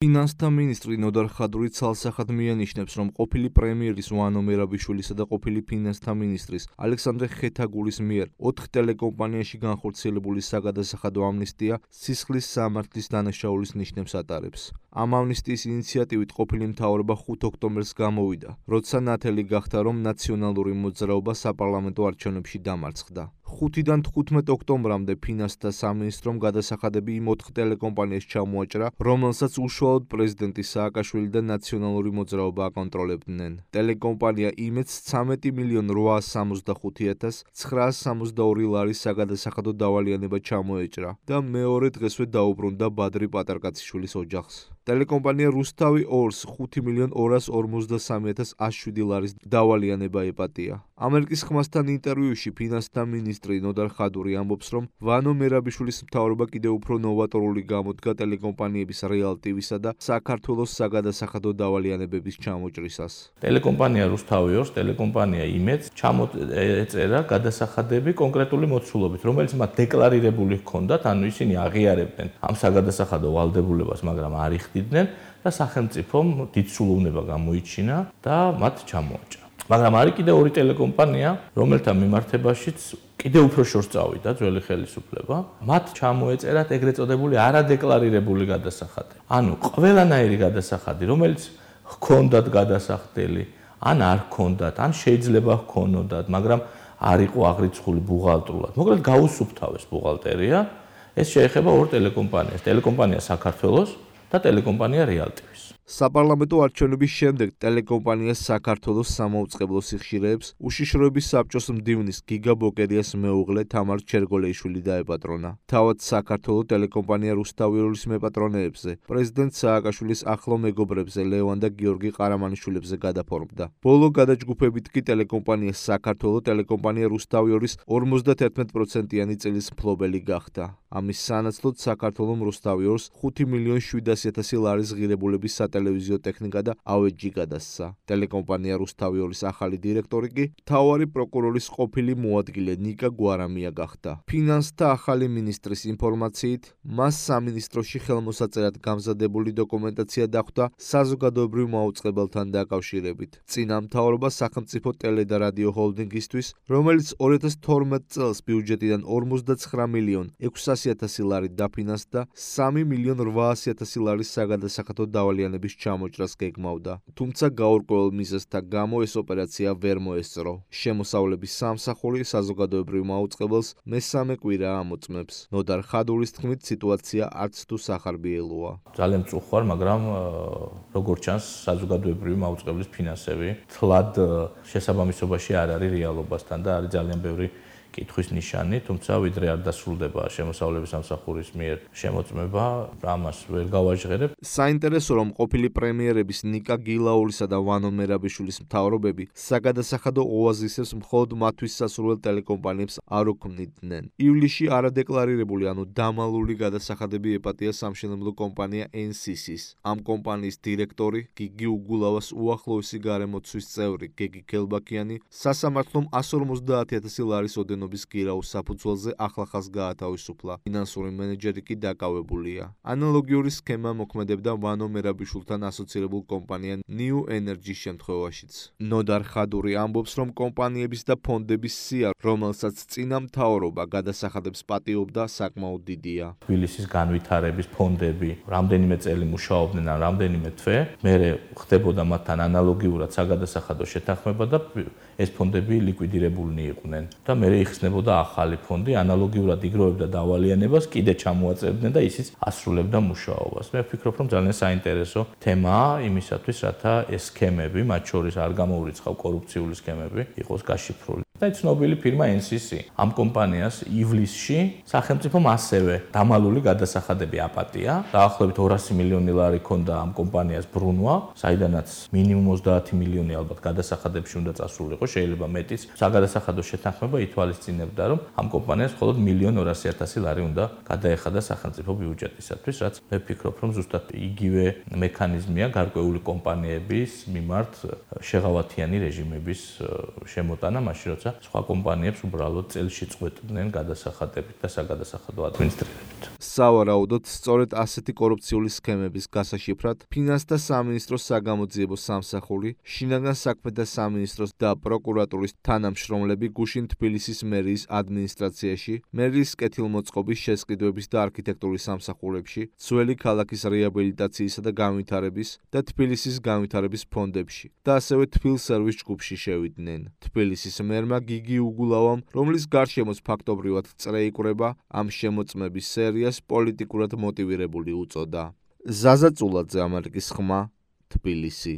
ფინანსთა მინისტრი ნოდარ ხადური ცალსახად მიანიშნებს, რომ ყოფილი პრემიერის ვანო მერაბიშვილისა და ყოფილი ფინანსთა მინისტრის ალექსანდრე ხეთაგულის მიერ 4 ტელეკომპანიაში განხორციელებული საგადასახადო ამნისტია სისხლის სამართლის დანაშაულის ნიშნებს ატარებს. ამ ამნისტიის ინიციატივით ყოფილი მთავრობა 5 ოქტომბერს გამოვიდა, როცა ნათელი გახდა, რომ ნაციონალური მოძრაობა საპარლამენტო არჩევნებში დამარცხდა. 5-დან 15 ოქტომბრამდე ფინანსთა სამინისტრომ გადასახადები იმ 4 ტელეკომპანიას ჩამოაჭრა, რომელსაც უშუალოდ პრეზიდენტი სააკაშვილი და ნაციონალური მოძრაობა აკონტროლებდნენ. ტელეკომპანია იმედს 13.865.962 ლარის საგადასახადო დავალიანება ჩამოეჭრა და მეორე დღესვე დაუბრუნდა ბადრი პატარკაციშვილის ოჯახს. ტელეკომპანია რუსთავი 2-ს 5.253.107 ლარის დავალიანება ეპატია. ამერიკის ხმასთან ინტერვიუში ფინანსთა მინისტრი ნოდარ ხადური ამბობს, რომ ვანო მერაბიშვილის მთავრობა კიდევ უფრო ნოვატორული გამოდგა ტელეკომპანიების რეალ ტივისა და საქართველოს საგადასახადო დავალიანებების ჩამოჭრისას. ტელეკომპანია რუსთავი 2-ს, ტელეკომპანია იმედს ჩამოეწერა გადასახადები კონკრეტული მოცულობით, რომელიც მათ დეკლარირებული ჰქონდათ, ანუ ისინი აღიარებდნენ ამ საგადასახადო ვალდებულებას, მაგრამ არ იხდიდნენ და სახელმწიფომ დიდ სულოვნება გამოიჩინა და მათ ჩამოაჭრა. მაგრამ არის კიდევ 2 ტელეკომპანია, რომელთა მიმართებაშიც კიდევ უფრო შორს წავიდა ძველი ხელისუფლება. მათ ჩამოეწერათ ეგრეთ წოდებული არადეკლარირებული გადასახადი. ანუ ყველანაირი გადასახადი, რომელიც ჰქონდათ გადასახდელი, ან არ ჰქონდათ, ან შეიძლება ჰქონოდათ, მაგრამ არ იყო აღრიცხული ბუღალტრულად. მოკლედ გაუსუფთავეს ბუღალტერია. ეს შეეხება 2 ტელეკომპანიას. ტელეკომპანია საქართველოს და ტელეკომპანია რეალტივის. საპარლამენტო არჩევნების შემდეგ ტელეკომპანია საქართველოს სამაუწყებლო სიხშირეებს უშიშროების საბჭოს მდივნის გიგა ბოკერიას მეუღლე თამარ ჩერგოლეიშვილი დაეპატრონა. თავად საქართველოს ტელეკომპანია რუსთავი 2-ის მეპატრონეებზე, პრეზიდენტ სააკაშვილის ახლო მეგობრებზე ლევან და გიორგი ყარამანიშვილებზე გადაფორმდა. ბოლო გადაჯგუფებით კი ტელეკომპანია საქართველოს ტელეკომპანია რუსთავი 2-ის 51%-იანი წილის მფლობელი გახდა. ამის სანაცვლოდ საქართველოს რუსთავი 2-ს 5.700.000 ლარის ღირებულების სატელევიზიო ტექნიკა და ავეჯი გადასცა. ტელეკომპანია რუსთავი 2-ის ახალი დირექტორი კი მთავარი პროკურორის ყოფილი მოადგილე ნიკა გვარამია გახდა. ფინანსთა ახალი მინისტრის ინფორმაციით, მას სამინისტროში ხელმოსაწერად გამზადებული დოკუმენტაცია დახვდა საზოგადოებრივ მაუწყებელთან დაკავშირებით. წინა მთავრობა სახელმწიფო ტელე და რადიო ჰოლდინგისთვის, რომელიც 2012 წელს ბიუჯეტიდან 49.600.000 ლარი დაფინანსდა 3.800.000 ლარის საგადასახადო დავალიანების ჩამოჭრას გეგმავდა. თუმცა გაურკვეველ მიზეზთა გამო ეს ოპერაცია ვერ მოესწრო. შემოსავლების სამსახური საზოგადოებრივ მაუწყებელს მესამე კვირა ამოწმებს. ნოდარ ხადურის თქმით, სიტუაცია არც თუ სახარბიელოა. ძალიან მწუხ ვარ, მაგრამ როგორც ჩანს, საზოგადოებრივი მაუწყებლის ფინანსები თლად შესაბამისობაში არ არის რეალობასთან და არის ძალიან ბევრი კითხვის ნიშანი, თუმცა ვიდრე არ დასრულდება შემოსავლების სამსახურის მიერ შემოწმება, ამას ვერ გავაჟღერებ. საინტერესო, რომ ყოფილი პრემიერების ნიკა გილაურისა და ვანო მერაბიშვილის მთავრობები საგადასახადო ოაზისებს მხოლოდ მათთვის სასურველ ტელეკომპანიებს არ უქმნიდნენ. ივლისში არადეკლარირებული, ანუ დამალული გადასახადები ეპატია სამშენებლო კომპანია NCC-ს. ამ კომპანიის დირექტორი გიგი უგულავას უახლოესი გარემოცვის წევრი გეგი გელბაქიანი სასამართლომ 150.000 ლარის ოდენობის გირაუს საფუძველზე ახლახანს გაათავისუფლა. ფინანსური მენეჯერი კი დაკავებულია. ანალოგიური სქემა მოქმედებდა ვანო მერაბიშვილთან ასოცირებულ კომპანია New Energy შემთხვევაშიც. ნოდარ ხადური ამბობს, რომ კომპანიების და ფონდების სია, რომელსაც წინა მთავრობა გადასახადებს პატიობდა, საკმაოდ დიდია. თბილისის განვითარების ფონდები რამდენიმე წელი მუშაობდნენ ან რამდენიმე თვე, მერე ხდებოდა მათთან ანალოგიურად საგადასახადო შეთანხმება და ეს ფონდები ლიკვიდირებულნი იყვნენ და მერე იხსნებოდა ახალი ფონდი, ანალოგიურად იგროვებდა დავალიანებას, კიდე ჩამოაწერდნენ და ისიც ასრულებდა მუშაობას. მე ვფიქრობ, რომ ძალიან საინტერესო თემაა იმისათვის, რათა ეს სქემები, მათ შორის არ გამოურიცხავ კორუფციული სქემები, იყოს გაშიფრული. და ცნობილი ფირმა NCC ამ კომპანიას ივლისში სახელმწიფომ ასევე დამალული გადასახადები აპატია. დაახლოებით 200 მილიონი ლარი ჰქონდა ამ კომპანიას ბრუნვა, საიდანაც მინიმუმ 30 მილიონი ალბათ გადასახადებში უნდა წასულიყო, შეიძლება მეტიც. საგადასახადო შეთანხმება ითვალისწინებდა, რომ ამ კომპანიას მხოლოდ 1.200.000 ლარი უნდა გადაეხადა სახელმწიფო ბიუჯეტისათვის, რაც მე ვფიქრობ, რომ ზუსტად იგივე მექანიზმია გარკვეული კომპანიების მიმართ შეღავათიანი რეჟიმების შემოტანა, მაშინ როცა და სხვა კომპანიებს უბრალოდ წელში წყვეტდნენ გადასახადებით და საგადასახადო ადმინისტრირებით. სავარაუდოდ, სწორედ ასეთი კორუფციული სქემების გასაშიფრად, ფინანსთა სამინისტროს საგამოძიებო სამსახური, შინაგან საქმეთა სამინისტროს და პროკურატურის თანამშრომლები გუშინ თბილისის მერიის ადმინისტრაციაში, მერიის კეთილმოწყობის შესყიდვების და არქიტექტურის სამსახურებში, ძველი ქალაქის რეაბილიტაციისა და განვითარების და თბილისის განვითარების ფონდებში და ასევე თბილსერვის ჯგუფში შევიდნენ. თბილისის მერმა გიგი უგულავამ, რომლის გარშემოც ფაქტობრივად წრე იკვრება, ამ შემოწმების სერიას პოლიტიკურად მოტივირებული უწოდა. ზაზა წულაძე, ამერიკის ხმა, თბილისი.